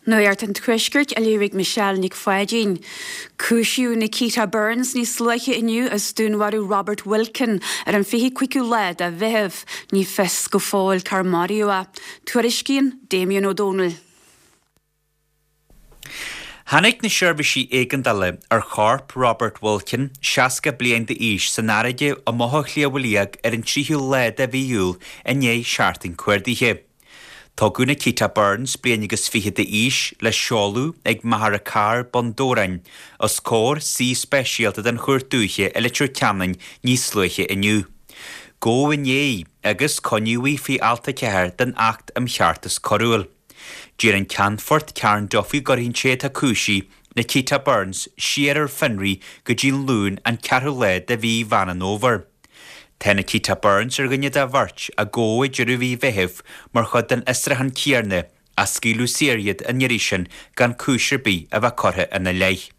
Nuacht an Tuaiscirt á léamh ag Michelle Nic Pháidín. Cúisíodh Nikita Burns níos luaithe inniu as dúnmharú Robert Wilkin ar an 25ú lá de Mheitheamh. Ní fios go fóill cár maraíodh é. Tuairiscíonn Damien Ó Dónaill. Tháinig na seirbhísí éigeandála ar chorp Robert Wilkin, 60 bliain d'aois, san fharraige i mBothach Shliabh Liag ar an 3ú lá de mhí Iúil i ndiaidh seachtain cuardaithe. Tugadh Nikita Burns, bliain agus fiche d'aois, le seoladh ag Machaire Carr, Bun Dobhráin, os comhair suí speisialta den Chúirt Dúiche i Leitir Ceanainn níos luaithe inniu. Gabhadh inné agus coinníodh í faoi Alt 4 den Acht um Cheartas Coiriúil. D'iarr an Ceannfort Karen Duffy go gcuirfí an té atá cúisithe, Nikita Burns, siar ar fionraí go dtí an Luan an ceathrú lá de mhí Mheán an Fhómhair. Tá Nikita Burns ar dhuine de bheirt a gabhadh ag deireadh mhí Mheithimh mar chuid den fhiosrúchán céanna ach scaoileadh saor iad an iarraidh sin gan cúis ar bith a bheith curtha ina leith.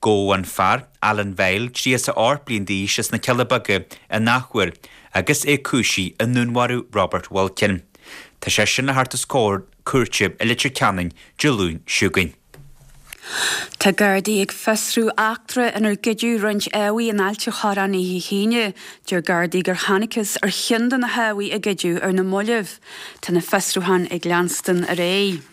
Gabhadh an fear, Alan Vile, 38 bliain d'aois as na Cealla Beaga in athuair agus é cúisithe i ndúnmharú Robert Wilkin. Tá seisean le theacht os comhair cúirte i Leitir Ceanainn Dé Luain seo chugainn. Tá Gardaí ag fiosrú eachtra inar goideadh roinnt eachaí in Ailt an Chorráin oíche hAoine. Deir Gardaí gur thángthas ar cheann de na heachaí a goideadh ar na mallaibh. Tá na fiosrúcháin ag leanstan ar aghaidh.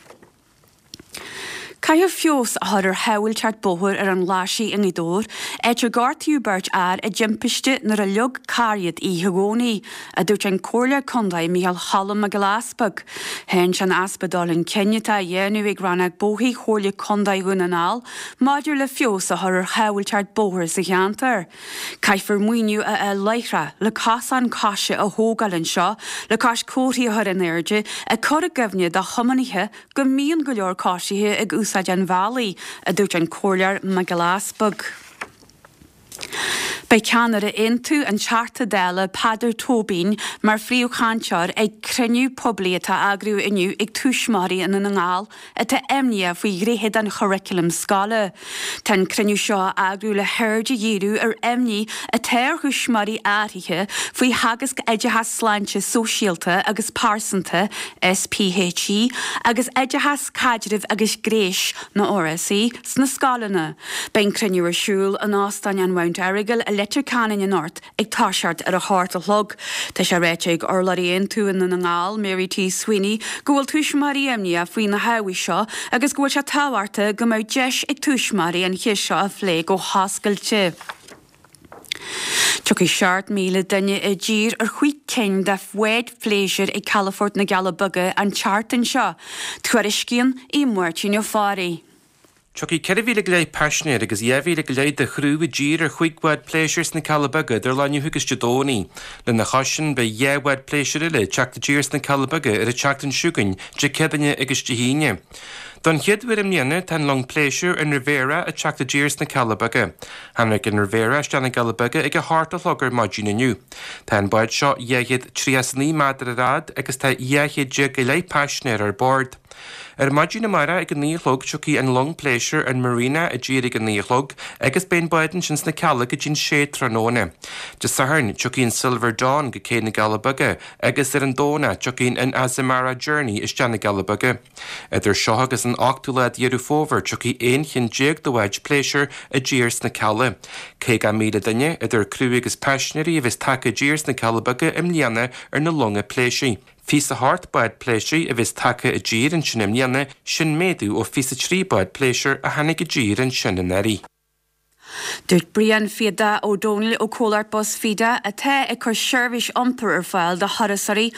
Caithfear feabhas a chur ar shábháilteacht bóthair ar an Ghlaisigh i nGaoth Dobhair, áit ar gortaíodh beirt fhear i dtimpiste nuair a leag carr iad oíche Dhomhnaigh, a dúirt an Comhairleoir Contae Micheál Cholm Mac Giolla Easpaig. Cháin sé an easpa dul chun cinn atá á dhéanamh ag Rannóg Bóithre Chomhairle Contae Dhún na nGall maidir le feabhas a chur ar shábháilteacht bóthair sa cheantar. Caithfear maoiniú a fháil láithreach le cosán coise a thógáil anseo le cois comharthaí a chur in airde ag cur i gcuimhne do thiománaithe go mbíonn go leor coisithe ag úsáid an bhealaigh, a dúirt an Comhairleoir Mac Giolla Easpaig. Beidh ceannaire Aontú, an Teachta Dála Peadar Tóibín, mar phríomhchainteoir ag cruinniú poiblí atá á eagrú inniu ag Tuismitheoirí i nDún na nGall atá imníoch faoi ghnéithe den churaclam scoile. Tá an cruinniú seo á eagrú le haird a dhíriú ar imní atá ar thuismitheoirí áirithe faoi theagasc Oideachas Sláinte Sóisialta agus Pearsanta, SPHE, agus Oideachas Caidrimh agus Gnéis nó RSE, sna scoileanna. Beidh an cruinniú ar siúl in Óstán an Mount Errigal i Leitir Ceanainn anocht ag toiseacht ar a hocht a chlog. Tá sé ráite ag urlabhraí Aontú i nDún na nGall, Mary T Sweeney, go bhfuil tuismitheoirí imníoch faoi na hábhair seo agus go bhfuil sé tábhachtach go mbeadh deis ag tuismitheoirí an cheist seo a phlé go hoscailte. Tiocfaidh 7,000 duine i dtír ar chúig cinn de bháid phléisiúir ag Calafort na gCealla Beaga an tseachtain seo, tuairiscíonn Aodh Máirtín Ó Fearraigh. Tiocfaidh 14,000 go leith paisinéir agus 2,000 go leith de chriú i dtír ar chúig bhád pléisiúir sna Cealla Beaga idir lá inniu agus Dé Domhnaigh. Lena chois sin, beidh 2 bhád pléisiúir eile ag teacht i dtír sna Cealla Beaga ar an tseachtain seo chugainn, Dé Céadaoine agus Dé hAoine. Don chéad uair i mbliana, tá an long pléisiúir, an Riviera, ag teacht i dtír sna Cealla Beaga. Tháinig an Riviera isteach na gCealla Beaga ag a hocht a chlog ar maidin inniu. Tá an bád seo 239 méadar ar fhad agus tá 12 chéad go leith paisinéir ar bord. Ar maidin amárach ag a 9 a chlog tiocfaidh an long pléisiúir an Marina i dtír ag a 9 a chlog agus beidh an bád ansin sna Cealla go dtí'n sé tráthnóna. Dé Sathairn tiocfaidh an Silver Dawn go cé na gCealla Beaga agus ar an Domhnach tiocfaidh an Azamara Journey isteach na gCealla Beaga. Idir seo agus an ochtú lá Dheireadh Fómhair tiocfaidh 11 chinn de bháid pléisiúir i dtír sna Cealla. 50,000 duine, idir criú agus paisinéirí a bheas tagtha i dtír sna Cealla Beaga i mbliana ar na longa pléisiúir. 28 bád pléisiúir a bheas tagtha i dtír ansin i mbliana, sin méadú ó 23 bád pléisiúir a tháinig i dtír ansin anuraidh. Dúirt Brian Fiadach Ó Dónaill ó Comhlacht Bus Feda, atá ag cur seirbhís iompair ar fáil do thurasóirí,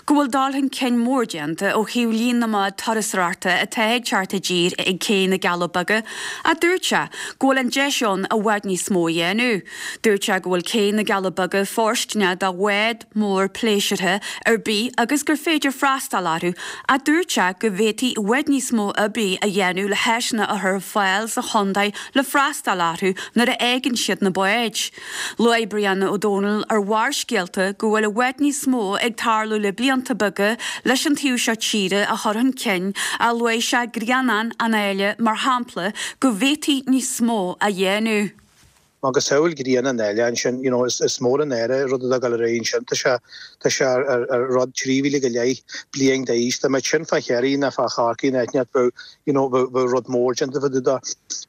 go bhfuil dul chun cinn mór déanta ó thaobh líon na mbád turasóireachta atá ag teacht i dtír ag Cé na gCealla Beaga ach dúirt sé go bhfuil an deis ann i bhfad níos mó a dhéanamh. Dúirt sé go bhfuil Cé na gCealla Beaga fóirsteanach do bhád mór pléisiúrtha ar bith agus gur féidir freastal orthu ach dúirt sé go bhféadfaí i bhfad níos mó oibre a dhéanamh le háiseanna a chur ar fáil sa chontae le freastal orthu nuair a fhágann siad na báid. Luaigh Brian Ó Dónaill ar Bharrscéalta go bhfuil i bhfad níos mó ag tarlú le blianta beaga leis an taobh seo tíre a chur chun cinn ach luaigh sé Grianán an Áille mar shampla go bhféadfaí níos mó a dhéanamh. Macasamhail Ghrian an Fhéile ansin, you know, is mór an náire rud atá ag dul ar aghaidh ansin. Tá sé, tá sé ar, ar rud 3,000 go leith bliain d'aois. Dá mbeadh sin fá Chiarraí ná fá Chorcaigh ná áit inteacht bheadh, you know, bheadh, bheadh rud mór déanta fá dtaobh de.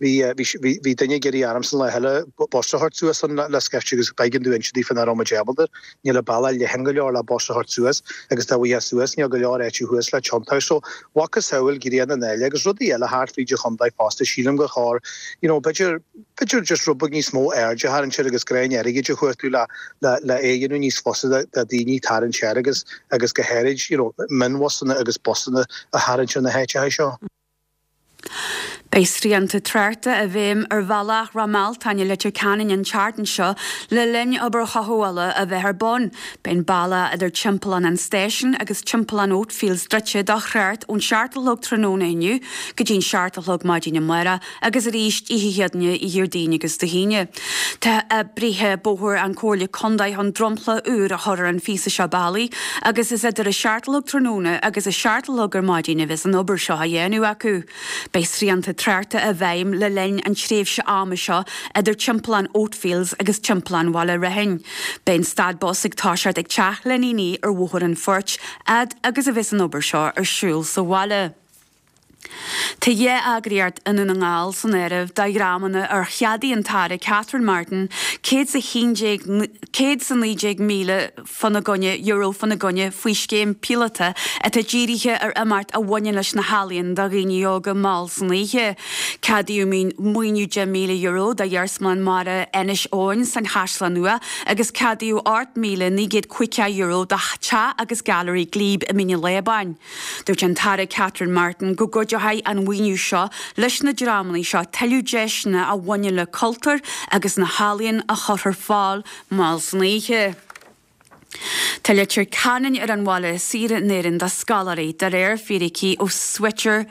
Bhí, bhí, bhí, bhí duine ag iarraidh ormsa an lá eile bus a thabhairt suas ann le, le scaifte agus b'éigean domh inse daofa nach raibh muid ábalta. Níl an bealach leathan go leor le bus a thabhairt suas agus dá bhfaighfeá suas níl go leor áite thuas le tiontú. So, macasamhail Ghrian an Fhéile agus rudaí eile thart fríd an chontae fosta sílim gur chóir, you know, b'fhéidir, b'fhéidir just rud beag níos mó aird a tharraingt air agus greim airgid a chuartú le, le, le é a dhéanamh níos fusa do, do daoine tarraingt air agus, agus go háirid, you know, mionbhusanna agus busanna a tharraingt ar na háiteacha seo. Beidh srianta tráchta i bhfeidhm ar bhealach Ráth Mealtain i Leitir Ceanainn an tseachtain seo le linn obair chothabhála a bheith ar bun. Beidh an bealach idir Timpeallán an Stáisiúin agus Timpeallán Oatfields druidte do thrácht ón 7 a chlog tráthnóna inniu go dtí'n 7 a chlog maidin amárach agus arís oíche Chéadaoine, Dhéardaoin agus Dé hAoine. Tá oibrithe bóthair an Comhairle Contae chun dromchla úr a chur ar an phíosa seo bealaigh agus is idir a 7 a chlog tráthnóna agus a 7 a chlog ar maidin a bheas an obair seo á dhéanamh acu. Beidh srianta tráchta i bhfeidhm le linn an tréimhse ama seo idir Timpeallán Oatfields agus Timpeallán Bhaile Raithin. Beidh an stad bus ag toiseacht ag Teach Lenníní ar Bhóthar an Phoirt fhad agus a bheas an obair seo ar siúl sa bhaile. Tá 2 eagraíocht i nDún na nGall san áireamh do dhreamanna ar cheadaigh an tAire Catherine Martin €119,000 fána gcoinne euro fána gcoinne faoi scéim píolóta atá dírithe ar imeacht a bhaineann leis na healaíona do dhaoine óga mall san oíche. Ceadaíodh maoiniú €10,000 do Iarsmalann Mara Inis Eoghain san Chaisleán Nua agus ceadaíodh €8,950 do Theach agus Gailearaí Glebe i Mín an Lábáin. Dúirt an tAire Catherine Martin go gcuideoidh an mhaoiniú seo leis na dreamanna seo tuilleadh deiseanna a bhaineann le cultúr agus na healaíona a chur ar fáil mall san oíche. Tá Leitir Ceanainn ar an bhaile is saoire in Éirinn do scoláirí, de réir fíricí ó Switcher.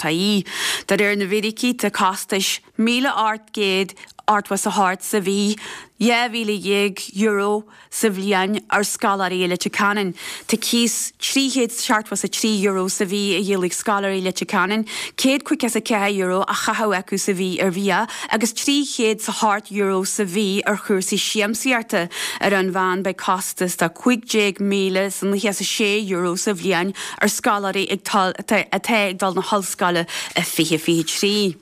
Ie. De réir na bhfíricí, tá costais €1,888 sa mhí, €12,000, sa bhliain ar scoláirí i Leitir Ceanainn. Tá cíos €373 sa mhí á dhíol ag scoláirí Leitir Ceanainn, €154 á chaitheamh acu sa mhí ar bhia agus €308 sa mhí ar chúrsaí siamsaíochta. Ar an mheán beidh costas de €15,096 sa bhliain ar scoláirí atá ag dul na hollscoile i 2023.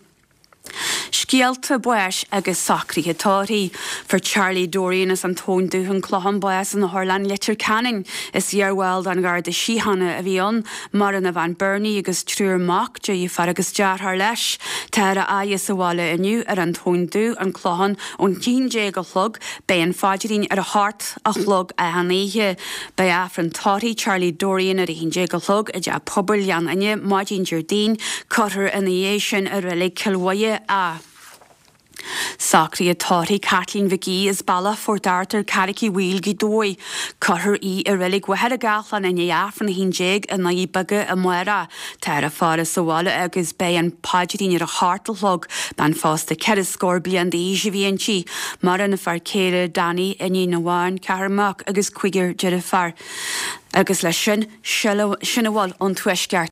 Scéalta báis agus socruithe tórraimh. Fuair Charlie Dorrian as an Tóin Dubh, An Clochán bás in Otharlann Leitir Ceanainn. Is iarbhall den Gharda Síochána a bhí ann. Maireann a bhean Bernie agus triúr mac, deirfiúr agus deartháir leis. Táthar á fhaire sa bhaile inniu ar an Tóin Dubh, An Clochán, ón 11 a chlog. Beidh an phaidrín ar a hocht a chlog achan oíche. Beidh Aifreann tórraimh Charlie Dorrian ar a haon déag a chlog i dTeach Pobail Ghleann Fhinne maidin Déardaoin. Cuirfear ina dhiaidh sin i Reilig Cill Mhuire é. Socruithe tórraimh Kathleen Mhic Aoidh as Bealach Phort Arthur, Carrick Uí Bhaoill, Gaoth Dobhair. Cuirfear í i Reilig Mhachaire Gathlán i ndiaidh Aifreann a haon déag i nDoirí Beaga amárach. Táthar á faire sa bhaile agus beidh an paidrín ar a hocht a chlog. Bean phósta ceithre scór bliain d'aois a bhí inti. Maireann a fear céile Danny, iníon amháin, ceathrar mac agus cúigear deirféar. Agus leis sin, sin a bhfuil ón Tuaisceart.